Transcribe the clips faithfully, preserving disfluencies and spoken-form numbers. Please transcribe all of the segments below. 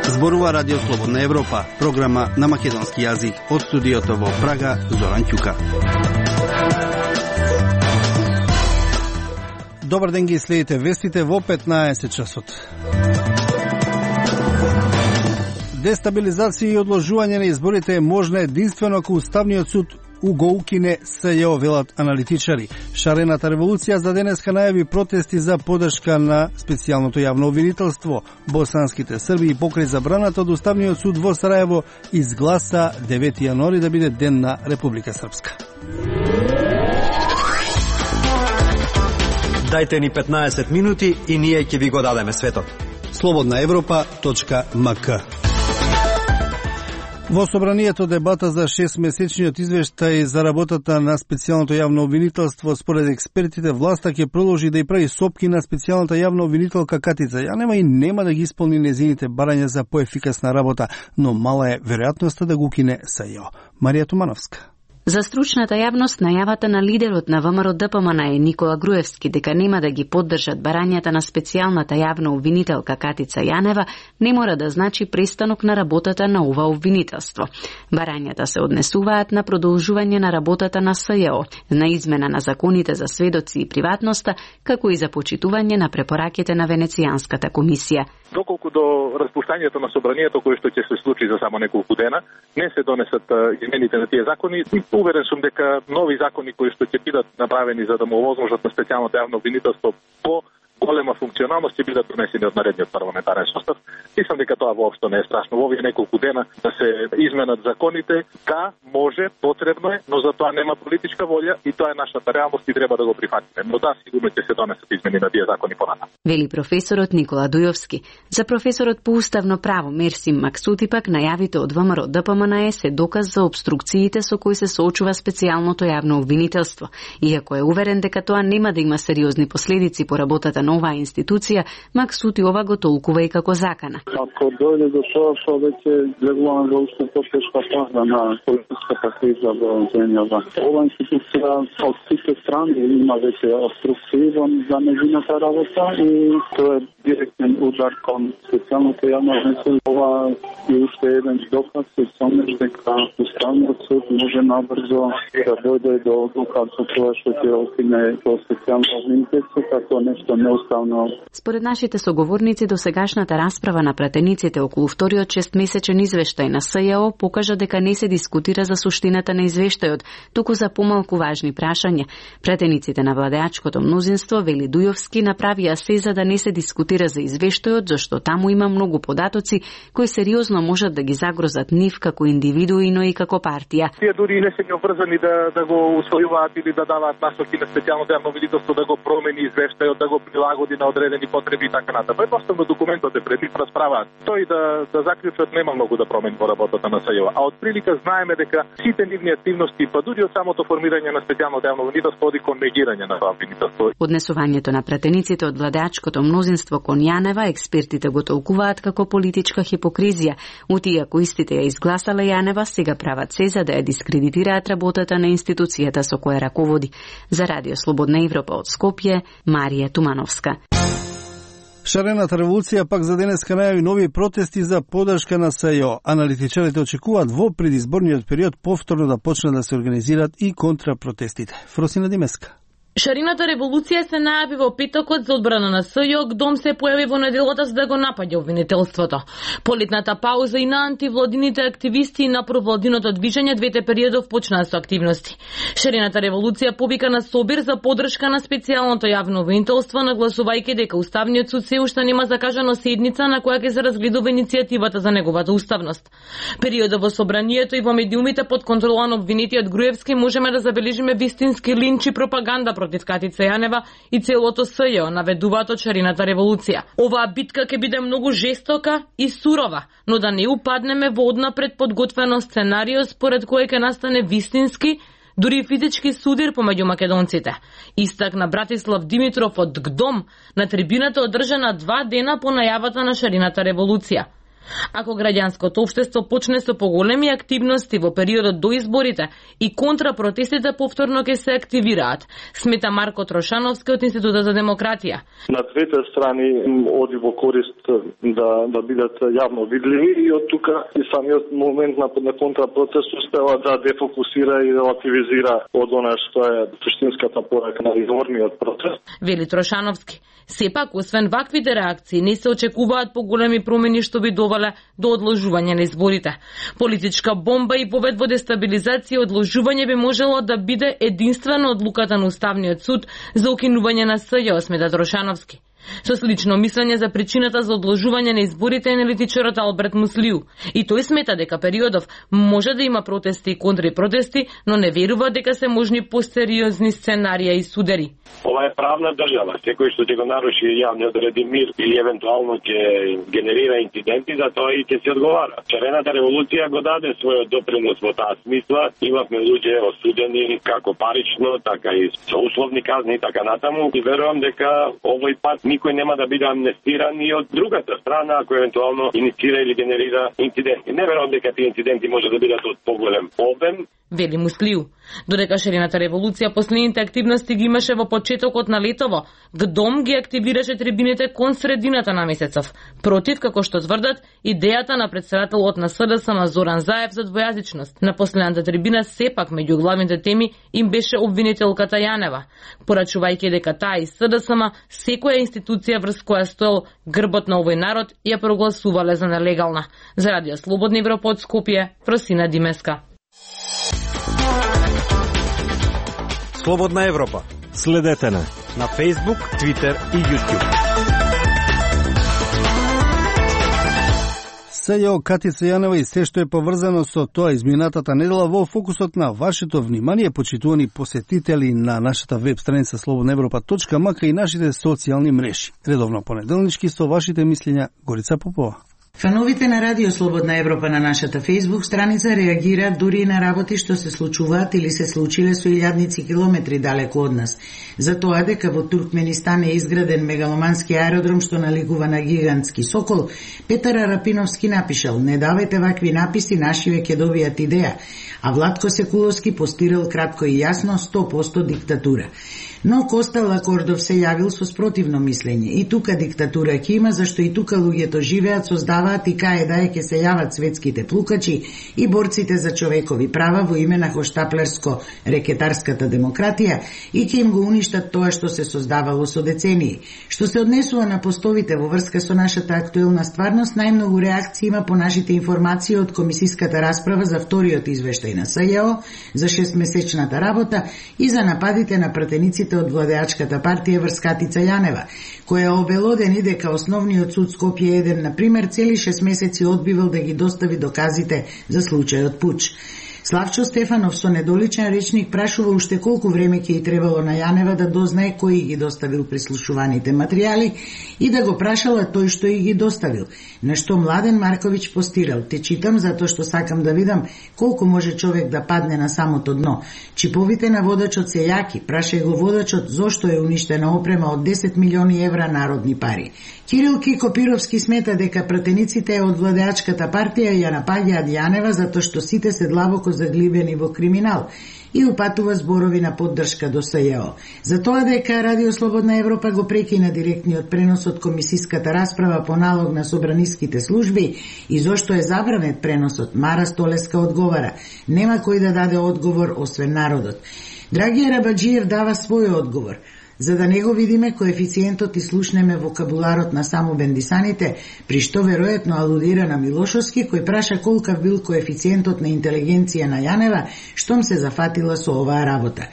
Зборува Радио Слободна Европа, програма на македонски јазик. Од студиото во Прага, Зоран Ќука. Добар ден, ги следите вестите во петнаесет часот. Дестабилизација и одложување на изборите е можна единствено ако Уставниот суд го укине СЈО, велат аналитичари. Шарената револуција за денеска најави протести за поддршка на специјалното јавно обвинителство. Босанските срби покрај забраната од Уставниот суд во Сарајево изгласа девети јануари да биде ден на Република Српска. Дајте ни петнаесет минути и ние ќе ви го дадеме светот. слободна европа точка ем ка. Во собранието дебата за шестмесечниот извештај за работата на специјалното јавно обвинителство, според експертите, власта ќе продолжи да ја прави сопки на специјалната јавна обвинителка Катица Јанева и нема да ги исполни незините барања за поефикасна работа, но мала е веројатноста да го кине СЈО. Марија Тумановска. За стручната јавност, најавата на лидерот на ВМРО Д П М Н е Никола Груевски дека нема да ги поддржат барањата на специјалната јавна обвинителка Катица Јанева не мора да значи престанок на работата на ова обвинителство. Барањата се однесуваат на продолжување на работата на СЈО, на измена на законите за сведоци и приватноста, како и за почитување на препораките на Венецијанската комисија. Доколку до распуштањето на собранието, кое што ќе се случи за само неколку дена, не се донесат измените на тие закони, уверен сум дека нови закони кои што ќе бидат направени за да му овозможат на специјалното јавно обвинителство по голема функционалност ќе бидат донесени од наредниот парламентарен состав. Мислам дека тоа воопшто не е страшно. Во овие неколку дена да се изменат законите, да, може, потребно е, но за тоа нема политичка волја и тоа е нашата реалност и треба да го прифатиме. Но да, сигурно ќе се донесат измени на тие закони понатаму. Вели професорот Никола Дујовски. За професорот по уставно право Мерсим Максути пак најавите од ВМРО Д П М Н се доказ за обструкциите со кои се соочува специјалното јавно обвинителство. Иако е уверен дека тоа нема да има сериозни последици по работата на оваа институција, Максути ова го толкува и како закана. Ако дојде до тоа, што веќе влегуваме во уште потешка фаза на политичката криза во земјава. Ова институција од сите страни има веќе обструкции за нејзината работа и тоа е директен удар кон специјалното јавно обвинителство. Ова е уште еден доказ и сомнеш дека Уставниот суд може набрзо да дојде до одлука со тоа што ќе окине тоа специјално обвинителство како нешто неуставно. Според нашите соговорници, до сегашната расправа на пратениците околу вториот шестмесечен извештај на СЈО покажа дека не се дискутира за суштината на извештајот, туку за помалку важни прашања. Пратениците на владеачкото мнозинство, вели Дујовски, направија се за да не се дискутира за извештајот, зашто таму има многу податоци кои сериозно можат да ги загрозат нив како индивидуи, но и како партија. Тие дури не се ги обврзани да да го усвојуваат или да даваат насоки на специјалното јавно обвинителство да го промени извештајот, да го прилагоди на одредени потреби и така натаму. Едноставно документот е пред нив, расправаат. Тој да да заклучат нема многу да промени во работата на СЈО. А од прилика знаеме дека сите нивни активности, па дури од самото формирање на специјалното јавно обвинителство оди кон негирање на тоа обвинителство. Однесувањето на пратениците од владеачкото мнозинство кон Јанева, експертите го толкуваат како политичка хипокризија. Ути ако истите ја изгласале Јанева, сега прават се за да ја дискредитираат работата на институцијата со која раководи. За Радио Слободна Европа од Скопје, Марија Тумановска. Шарената револуција пак за денеска најави нови протести за поддршка на СЈО. Аналитичарите очекуваат во предизборниот период повторно да почнат да се организираат и контрапротестите. Фросина Димеска. Шарената револуција се најави во петокот за одбрана на СЈО, Дом се појави во неделата за да го напаѓа обвинителството. Полетната пауза и на антивладините активисти и на провладиното движење двете периодов почнаа со активности. Шарената револуција повика на собир за поддршка на специјалното јавно обвинителство, нагласувајќи дека Уставниот суд се уште нема закажано седница на која ќе се разгледува иницијативата за неговата уставност. Периодот во собранието и во медиумите под контрола на обвинетиот Груевски можеме да забележиме вистински линч и пропаганда против Катица Јанева и целото СЈО, наведуваат од шарената револуција. Оваа битка ќе биде многу жестока и сурова, но да не упаднеме во однапред подготвено сценарио според кој ќе настане вистински, дури физички судир помеѓу македонците. Истакна Братислав Димитров од ГДОМ на трибината одржана два дена по најавата на шарената револуција. Ако граѓанското општество почне со поголеми активности во периодот до изборите и контрапротестите повторно ќе се активираат, смета Марко Трошановски од Институтот за демократија. На двете страни оди во корист да да бидат јавно видливи и од тука и самиот момент на, на контрапротест успева да дефокусира и релативизира од она што е суштинската порака на изворниот протест. Вели Трошановски. Сепак, освен ваквите реакции, не се очекуваат поголеми промени што би довеле до одложување на изборите. Политичка бомба и повед во дестабилизација и одложување би можело да биде единствено одлуката на Уставниот суд за укинување на СЈО, смета Трошановски. Со слично мислење за причината за одложување на изборите е аналитичарот Алберт Муслиу. И тој смета дека периодов може да има протести и контрапротести, но не верува дека се можни посериозни сценарија и судери. Ова е правна држава. Секој што ќе го наруши јавниот ред и мир или евентуално ќе генерира инциденти, за тоа и ќе се одговара. Шарената револуција го даде својот допринос во таа смисла. Имавме луѓе осудени како парично, така и со условни казни и така натаму. И верувам дека овој пат никој нема да биде амнестиран и од другата страна ако евентуално инициира или генерира инциденти. Не верувам дека тие инциденти може да бидат од поголем обем. Вели Муслиу. Додека шарената револуција последните активности ги имаше во почетокот на летово, ГДОМ ги активираше трибините кон средината на месецов. Против, како што тврдат, идејата на председателот на СДСМ Зоран Заев за двојазичност. На последната трибина сепак меѓу главните теми им беше обвинителката Јанева, порачувајќи дека таа и СДСМ секоја институција врз која стоел грбот на овој народ ја прогласувале за нелегална. За Радио Слободна Европа од Скопје, Просина Димеска. Слободна Европа. Следете на на Facebook, Twitter и YouTube. СЈО Катица Јанева и се што е поврзано со тоа изминатата недела во фокусот на вашето внимание, почитувани посетители на нашата веб страница слободна европа точка м к и нашите социјални мрежи. Редовно понеделнички со вашите мислења Горица Попова. Фановите на Радио Слободна Европа на нашата Facebook страница реагираат дури и на работи што се случуваат или се случиле со илјадници километри далеку од нас. За тоа дека во Туркменистан е изграден мегаломански аеродром што наликува на гигантски сокол, Петар Арапиновски напишал: "Не давајте вакви написи, нашиве ќе добијат идеја", а Владко Секуловски постирал кратко и јасно сто проценти диктатура. Но Коста Лакордов се јавил со спротивно мислење. И тука диктатура ќе има, зашто и тука луѓето живеат, создаваат и кај да е ќе се јават светските плукачи и борците за човекови права во име на хоштаплерско-рекетарската демократија и ќе им го уништат тоа што се создавало со децении. Што се однесува на постовите во врска со нашата актуелна стварност, најмногу реакции има по нашите информации од комисиската расправа за вториот извештај на СЈО за шестмесечната работа и за нападите на пратениците од владеачката партија врз Катица Јанева, која обелодени дека основниот суд Скопје еден, например, цели шест месеци одбивал да ги достави доказите за случајот пуч. Славчо Стефанов со недоличен речник прашува уште колку време ќе и требало на Јанева да дознае кој ги доставил прислушуваните материјали и да го прашала тој што и ги доставил. На што Младен Марковиќ постирал: "Те читам затоа што сакам да видам колку може човек да падне на самото дно. Чиповите на водачот се јаки, прашај го водачот зошто е уништена опрема од десет милиони евра народни пари." Кирил Кикопировски смета дека пратениците од владеачката партија ја напаѓаат Јанева затоа што сите се длабоко заглибени во криминал и упатува зборови на поддршка до СЈО. За тоа дека Радио Слободна Европа го прекина директниот пренос од комисиската расправа по налог на собраниските служби и зошто е забранет преносот, Мара Столеска одговара: "Нема кој да даде одговор освен народот." Драгија Рабаджиев дава свој одговор. За да не го видиме коефициентот и слушнеме вокабуларот на само бендисаните, при што веројатно алудира на Милошовски, кој праша колкав бил коефициентот на интелигенција на Јанева, штом се зафатила со оваа работа.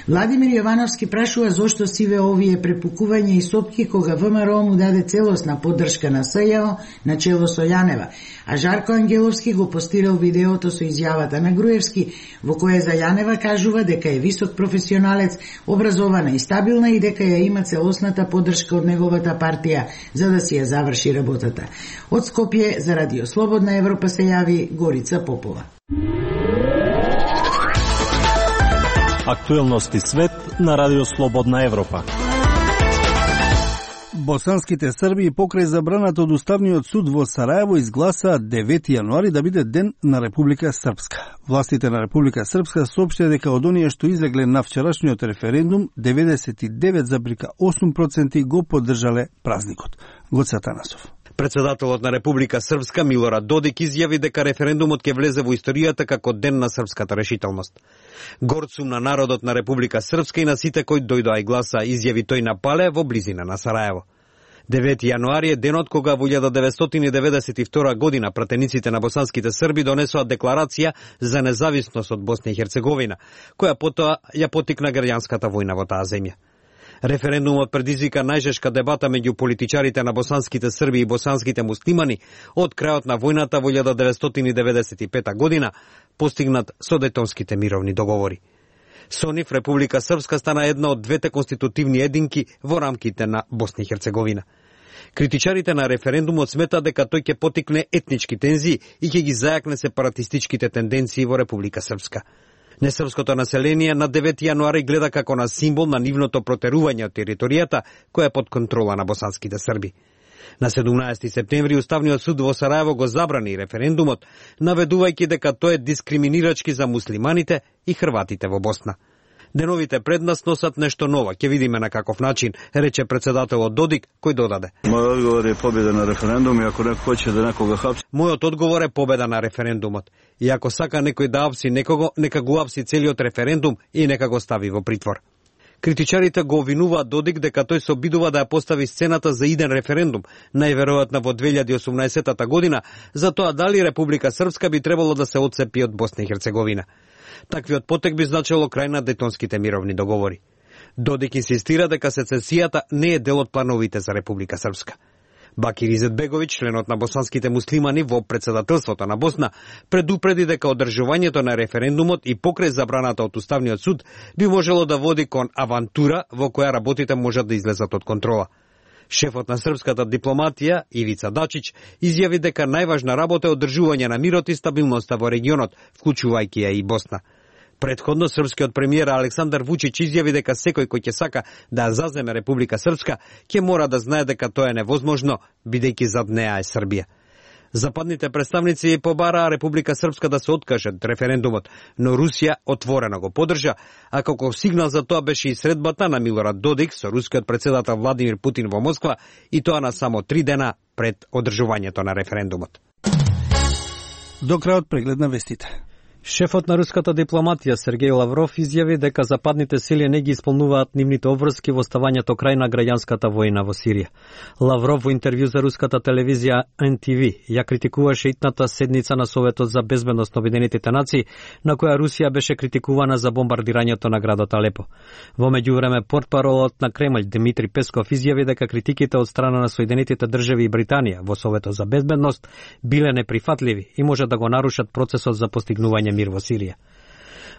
Владимир Јовановски прашува зошто сиве овие препукување и сопки кога ВМРО му даде целосна поддршка на СЈО на чело со Јанева, а Жарко Ангеловски го постирал видеото со изјавата на Груевски, во кое за Јанева кажува дека е висок професионалец, образована и стабилна и дека ја има целосната поддршка од неговата партија за да си ја заврши работата. Од Скопје за Радио Слободна Европа се јави Горица Попова. Актуелности свет на Радио Слободна Европа. Босанските срби покрај забраната од Уставниот суд во Сараево изгласаа девети јануари да биде ден на Република Српска. Властите на Република Српска соопштија дека од оние што излегле на вчерашниот референдум, деветдесет и девет зарез осум проценти го поддржале празникот. Гоце Атанасов. Председателот на Република Српска Милорад Додик изјави дека референдумот ќе влезе во историјата како ден на српската решителност. Горд сум на народот на Република Српска и на сите кои дојдоа и гласа, изјави тој на Пале во близина на Сараево. девети јануари е денот кога во илјада деветстотини деветдесет и втора година пратениците на босанските срби донесоа декларација за независност од Босна и Херцеговина, која потоа ја потикна граѓанската војна во таа земја. Референдумот предизвика најжешка дебата меѓу политичарите на босанските срби и босанските муслимани од крајот на војната во илјада деветстотини деветдесет и пета година, постигнат со Дејтонските мировни договори. Со нив Република Српска стана една од двете конститутивни единки во рамките на Босна и Херцеговина. Критичарите на референдумот сметаат дека тој ќе потикне етнички тензии и ќе ги зајакне сепаратистичките тенденции во Република Српска. Несрпското население на девети јануари гледа како на символ на нивното протерување од територијата која е под контрола на босанските срби. На седумнаесети септември Уставниот суд во Сараево го забрани референдумот, наведувајќи дека тој е дискриминирачки за муслиманите и хрватите во Босна. Деновите пред нас носат нешто ново, ќе видиме на каков начин, рече председателот Додик, кој додаде. Мојот одговор е победа на референдум и ако некој хоче да некога хапси. Мојот одговор е победа на референдумот. И ако сака некој да апси некого, нека го апси целиот референдум и нека го стави во притвор. Критичарите го обвинуваат Додик дека тој се обидува да ја постави сцената за иден референдум, најверојатно во две илјади и осумнаесета година, за тоа дали Република Српска би требало да се отцепи од Босна и Херцеговина. Таквиот потек би значило крај на Дејтонските мировни договори. Додик инсистира дека сецесијата не е дел од плановите за Република Српска. Бакир Изетбеговиќ, членот на босанските муслимани во председателството на Босна, предупреди дека одржувањето на референдумот и покрај забраната од Уставниот суд би можело да води кон авантура во која работите можат да излезат од контрола. Шефот на српската дипломатија, Ивица Дачич, изјави дека најважна работа е одржување на мирот и стабилноста во регионот, вклучувајќи ја и Босна. Предходно српскиот премиер Александар Вучич изјави дека секој кој ќе сака да заземе Република Српска ќе мора да знае дека тоа е невозможно, бидејќи зад неа е Србија. Западните представници побараа Република Српска да се откаже од референдумот, но Русија отворено го поддржа, а како сигнал за тоа беше и средбата на Милорад Додик со рускиот председател Владимир Путин во Москва, и тоа на само три дена пред одржувањето на референдумот. До крајот преглед на вестите. Шефот на руската дипломатија Сергеј Лавров изјави дека западните сили не ги исполнуваат нивните обврски во ставањето крај на граѓанската војна во Сирија. Лавров во интервју за руската телевизија Ен Ти Ви ја критикуваше итната седница на Советот за безбедност на Обединетите нации, на која Русија беше критикувана за бомбардирањето на градот Алепо. Во меѓувреме портпаролот на Кремљ Дмитри Песков изјави дека критиките од страна на Соединетите држави и Британија во Советот за безбедност биле неприфатливи и може да го нарушат процесот за постигнување мир во Сирија.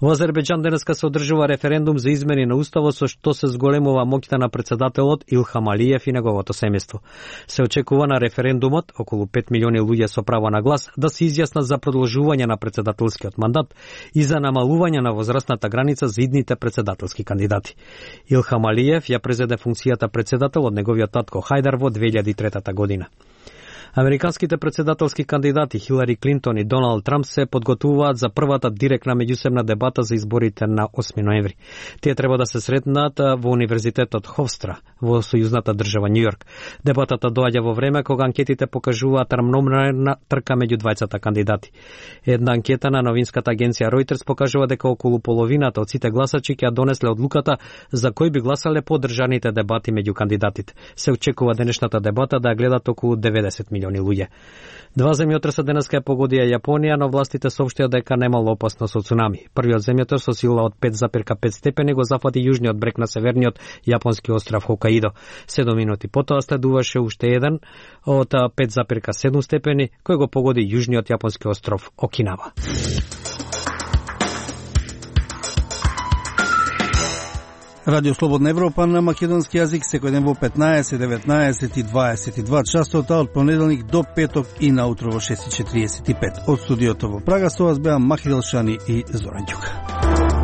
Во Азербејџан денеска се одржува референдум за измени на уставот со што се зголемува моќта на председателот Илхам Алиев и неговото семејство. Се очекува на референдумот околу пет милиони луѓе со право на глас да се изјаснат за продолжување на председателскиот мандат и за намалување на возрастната граница за идните председателски кандидати. Илхам Алиев ја презеде функцијата председател од неговиот татко Хајдар во две илјади и трета година. Американските председателски кандидати Хилари Клинтон и Доналд Трамп се подготвуваат за првата директна меѓусебна дебата за изборите на осми ноември. Тие треба да се сретнат во Универзитетот Ховстра во сојузната држава Њујорк. Дебатата доаѓа во време кога анкетите покажуваат рамномерна трка меѓу двајцата кандидати. Една анкета на новинската агенција Reuters покажува дека околу половината од сите гласачи ќе ја донесле одлуката за кој би гласале по одржаните дебати меѓу кандидатите. Се очекува денешната дебата да ја гледат околу деветдесет милиони луѓе. Два земјотреса денеска ја погодија Јапонија, но властите соопштија дека немало опасност од цунами. Првиот земјотрес со сила од пет зарез пет степени го зафати јужниот брег на северниот јапонски остров Хокаидо. Седум минути потоа следуваше уште еден од пет зарез седум степени кој го погоди јужниот јапонски остров Окинава. Радио Слободна Европа на македонски јазик секој ден во петнаесет, деветнаесет и дваесет и два часот, од понеделник до петок и наутро во шест и четириесет и пет. Од студиото во Прага со вас беа Махидел Шани и Зоран Ѓука.